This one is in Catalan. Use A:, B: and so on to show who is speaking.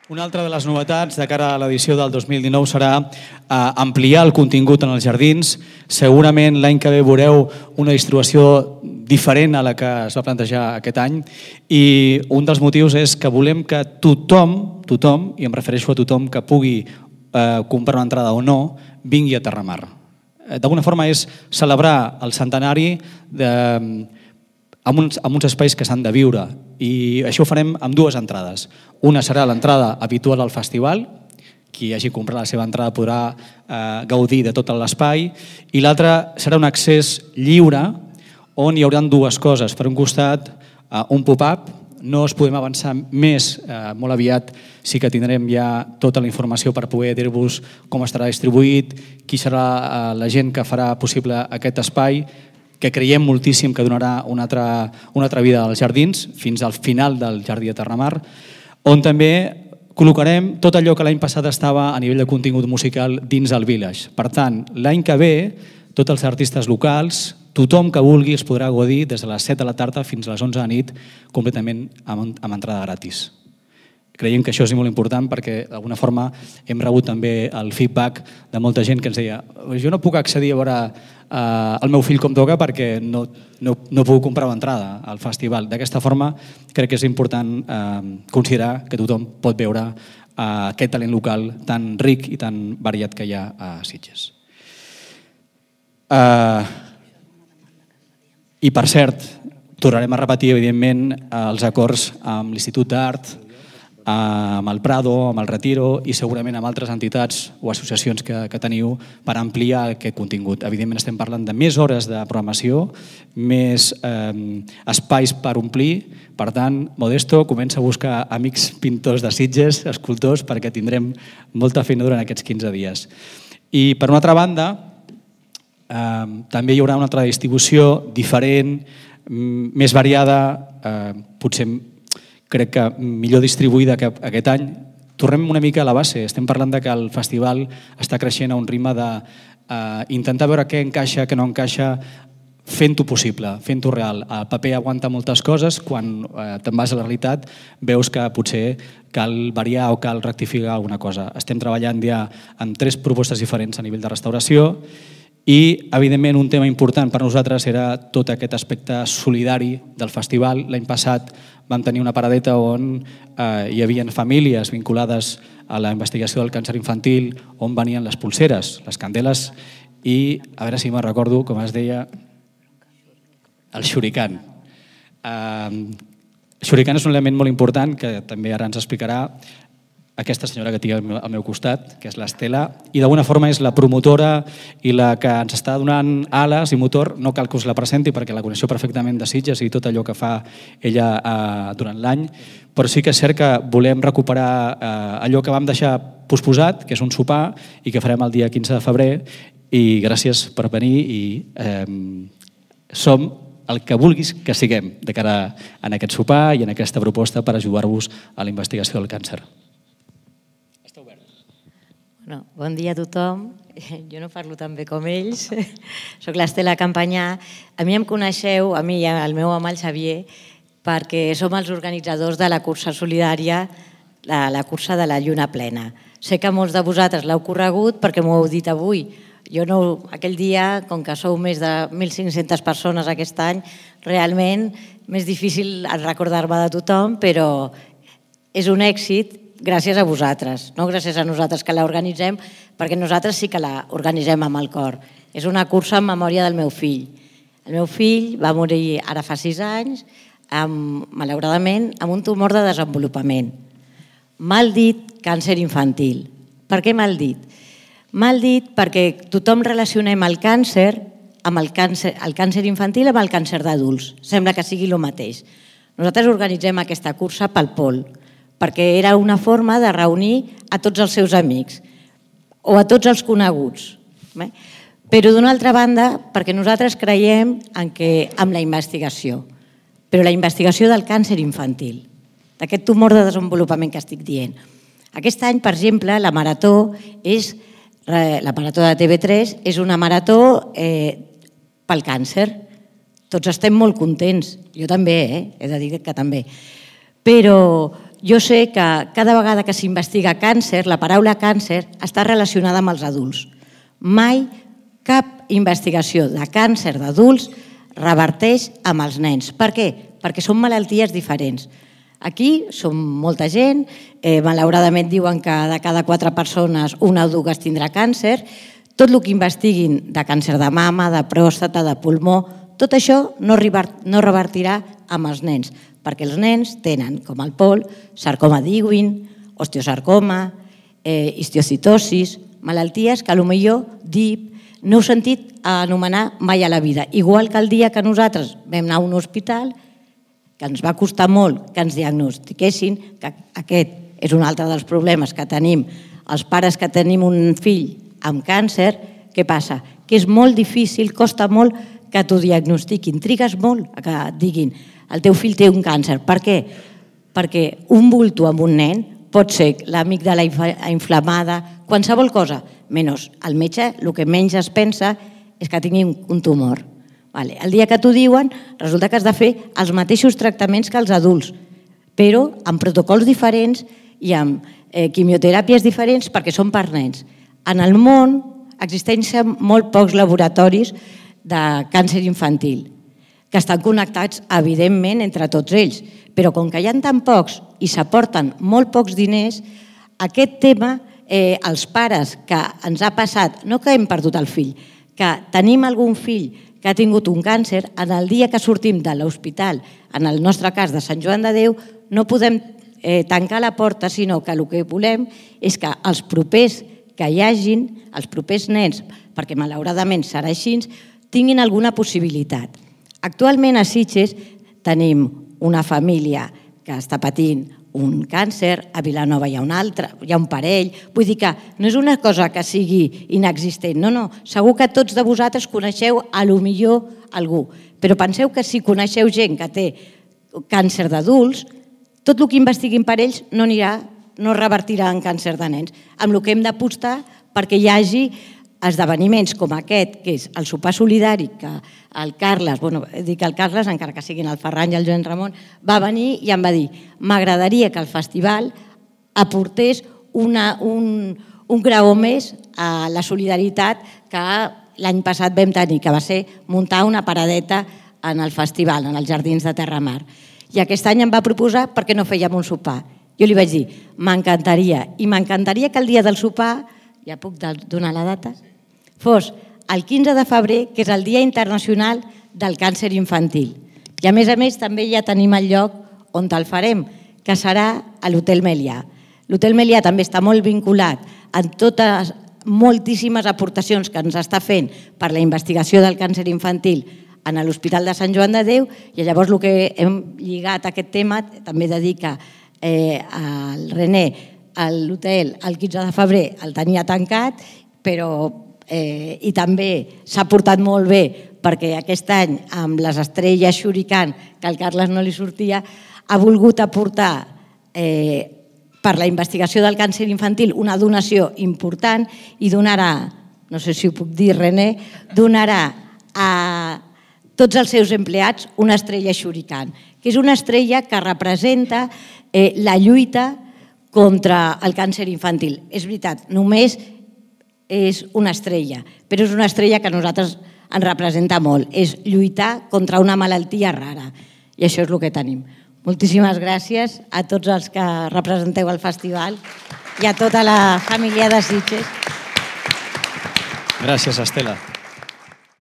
A: Una altra de les novetats de cara a l'edició del 2019 serà ampliar el contingut en els jardins. Segurament l'any que ve veureu una distribució diferent a la que es va plantejar aquest any i un dels motius és que volem que tothom, i em refereixo a tothom que pugui comprar una entrada o no, vingui a Terramar. D'alguna forma és celebrar el centenari amb uns espais que s'han de viure i això ho farem amb dues entrades. Una serà l'entrada habitual al festival, qui hagi comprat la seva entrada podrà gaudir de tot l'espai, i l'altra serà un accés lliure on hi haurà dues coses. Per un costat, un pop-up, no us podem avançar més, molt aviat sí que tindrem ja tota la informació per poder dir-vos com estarà distribuït, qui serà la gent que farà possible aquest espai, que creiem moltíssim que donarà una altra vida als jardins, fins al final del Jardí de Terramar, on també col·locarem tot allò que l'any passat estava a nivell de contingut musical dins el Village. Per tant, l'any que ve, tots els artistes locals, tothom que vulgui es podrà gaudir des de les 7 de la tarda fins a les 11 de la nit completament amb entrada gratis. Creiem que això és molt important perquè d'alguna forma hem rebut també el feedback de molta gent que ens deia jo no puc accedir a veure el meu fill com toca perquè no puc comprar una entrada al festival. D'aquesta forma crec que és important considerar que tothom pot veure aquest talent local tan ric i tan variat que hi ha a Sitges. I per cert, tornarem a repetir evidentment els acords amb l'Institut d'Art, amb el Prado, amb el Retiro i segurament amb altres entitats o associacions que teniu per ampliar aquest contingut. Evidentment estem parlant de més hores de programació, més espais per omplir. Per tant, Modesto comença a buscar amics pintors de Sitges, escultors, perquè tindrem molta feina durant aquests 15 dies. I per una altra banda, també hi haurà una altra distribució diferent, més variada, potser crec que millor distribuïda que aquest any. Tornem una mica a la base. Estem parlant que el festival està creixent a un ritme d'intentar veure què encaixa, què no encaixa, fent-ho possible, fent-ho real. El paper aguanta moltes coses, quan te'n vas a la realitat veus que potser cal variar o cal rectificar alguna cosa. Estem treballant ja amb 3 propostes diferents a nivell de restauració i, evidentment, un tema important per nosaltres era tot aquest aspecte solidari del festival. L'any passat vam tenir una paradeta on hi havia famílies vinculades a la investigació del càncer infantil, on venien les pulseres, les candeles i, a veure si me'n recordo, com es deia, el xurican. El xurican és un element molt important que també ara ens explicarà aquesta senyora que tinc al meu costat, que és l'Estela, i d'alguna forma és la promotora i la que ens està donant ales i motor. No cal que us la presenti perquè la coneixo perfectament de Sitges i tot allò que fa ella durant l'any, però sí que és cert que volem recuperar allò que vam deixar posposat, que és un sopar, i que farem el dia 15 de febrer, i gràcies per venir i som el que vulguis que siguem de cara a aquest sopar i en aquesta proposta per ajudar-vos a la investigació del càncer.
B: Bon dia a tothom. Jo no parlo tan bé com ells. Soc l'Estela Campanyà. A mi em coneixeu, a mi i al meu home, el Xavier, perquè som els organitzadors de la cursa solidària, la cursa de la Lluna Plena. Sé que molts de vosaltres l'heu corregut perquè m'ho heu dit avui. Jo no, aquell dia, com que sou més de 1.500 persones aquest any, realment m'és difícil recordar-me de tothom, però és un èxit gràcies a vosaltres, no gràcies a nosaltres que l'organitzem, perquè nosaltres sí que l'organitzem amb el cor. És una cursa en memòria del meu fill. El meu fill va morir ara fa 6 anys, malauradament, amb un tumor de desenvolupament. Mal dit càncer infantil. Per què mal dit? Mal dit perquè tothom relacionem el càncer infantil amb el càncer d'adults. Sembla que sigui el mateix. Nosaltres organitzem aquesta cursa pel Pol, perquè era una forma de reunir a tots els seus amics o a tots els coneguts. Però d'una altra banda, perquè nosaltres creiem en la investigació, però la investigació del càncer infantil, d'aquest tumor de desenvolupament que estic dient. Aquest any, per exemple, la marató de TV3 és una marató pel càncer. Tots estem molt contents, jo també, he de dir que també. Però jo sé que cada vegada que s'investiga càncer, la paraula càncer està relacionada amb els adults. Mai cap investigació de càncer d'adults reverteix amb els nens. Per què? Perquè són malalties diferents. Aquí som molta gent, malauradament diuen que de cada 4 persones una o dues tindrà càncer. Tot el que investiguin de càncer de mama, de pròstata, de pulmó, tot això no revertirà amb els nens, perquè els nens tenen, com el Pol, sarcoma d'Ewing, osteosarcoma, histiocytosis, malalties que potser DIP no heu sentit anomenar mai a la vida. Igual que el dia que nosaltres vam anar a un hospital, que ens va costar molt que ens diagnostiquessin, que aquest és un altre dels problemes que tenim els pares que tenim un fill amb càncer, què passa? Que és molt difícil, costa molt que t'ho diagnostiquin. Trigues molt a que et diguin el teu fill té un càncer. Per què? Perquè un bulto amb un nen pot ser l'amígdala inflamada, qualsevol cosa, menys el metge el que menys es pensa és que tingui un tumor. El dia que t'ho diuen, resulta que has de fer els mateixos tractaments que els adults, però amb protocols diferents i amb quimioteràpies diferents perquè són per nens. En el món existeixen molt pocs laboratoris de càncer infantil, que estan connectats, evidentment, entre tots ells, però com que hi ha tan pocs i s'aporten molt pocs diners, aquest tema, els pares que ens ha passat, no que hem perdut el fill, que tenim algun fill que ha tingut un càncer, en el dia que sortim de l'hospital, en el nostre cas de Sant Joan de Déu, no podem tancar la porta, sinó que el que volem és que els propers que hi hagin, els propers nens, perquè malauradament serà així, tinguin alguna possibilitat. Actualment a Sitges tenim una família que està patint un càncer, a Vilanova hi ha un altre, hi ha un parell, vull dir que no és una cosa que sigui inexistent, no, segur que tots de vosaltres coneixeu a lo millor algú, però penseu que si coneixeu gent que té càncer d'adults, tot el que investiguin per ells no revertirà en càncer de nens, amb el que hem d'apostar perquè hi hagi esdeveniments com aquest, que és el sopar solidari, que el Carles, dic el Carles, encara que siguin el Ferran i el Joan Ramon, va venir i em va dir m'agradaria que el festival aportés un graó més a la solidaritat que l'any passat vam tenir, que va ser muntar una paradeta en el festival, en els Jardins de Terramar. I aquest any em va proposar per què no fèiem un sopar. Jo li vaig dir, m'encantaria, i m'encantaria que el dia del sopar, ja puc donar la data, fos el 15 de febrer, que és el Dia Internacional del Càncer Infantil. I a més també ja tenim el lloc on el farem, que serà a l'Hotel Melià. L'Hotel Melià també està molt vinculat en totes moltíssimes aportacions que ens està fent per la investigació del càncer infantil en l'Hospital de Sant Joan de Déu, i llavors el que hem lligat a aquest tema també dedica el René, l'hotel el 15 de febrer el tenia tancat, i també s'ha portat molt bé perquè aquest any amb les estrelles Xuricant, que al Carles no li sortia, ha volgut aportar per la investigació del càncer infantil una donació important i donarà, no sé si ho puc dir René, donarà a tots els seus empleats una estrella Xuricant, que és una estrella que representa la lluita contra el càncer infantil. És veritat, només és una estrella, però és una estrella que a nosaltres ens representa molt. És lluitar contra una malaltia rara, i això és el que tenim. Moltíssimes gràcies a tots els que representeu el festival i a tota la família de Sitges.
A: Gràcies, Estela.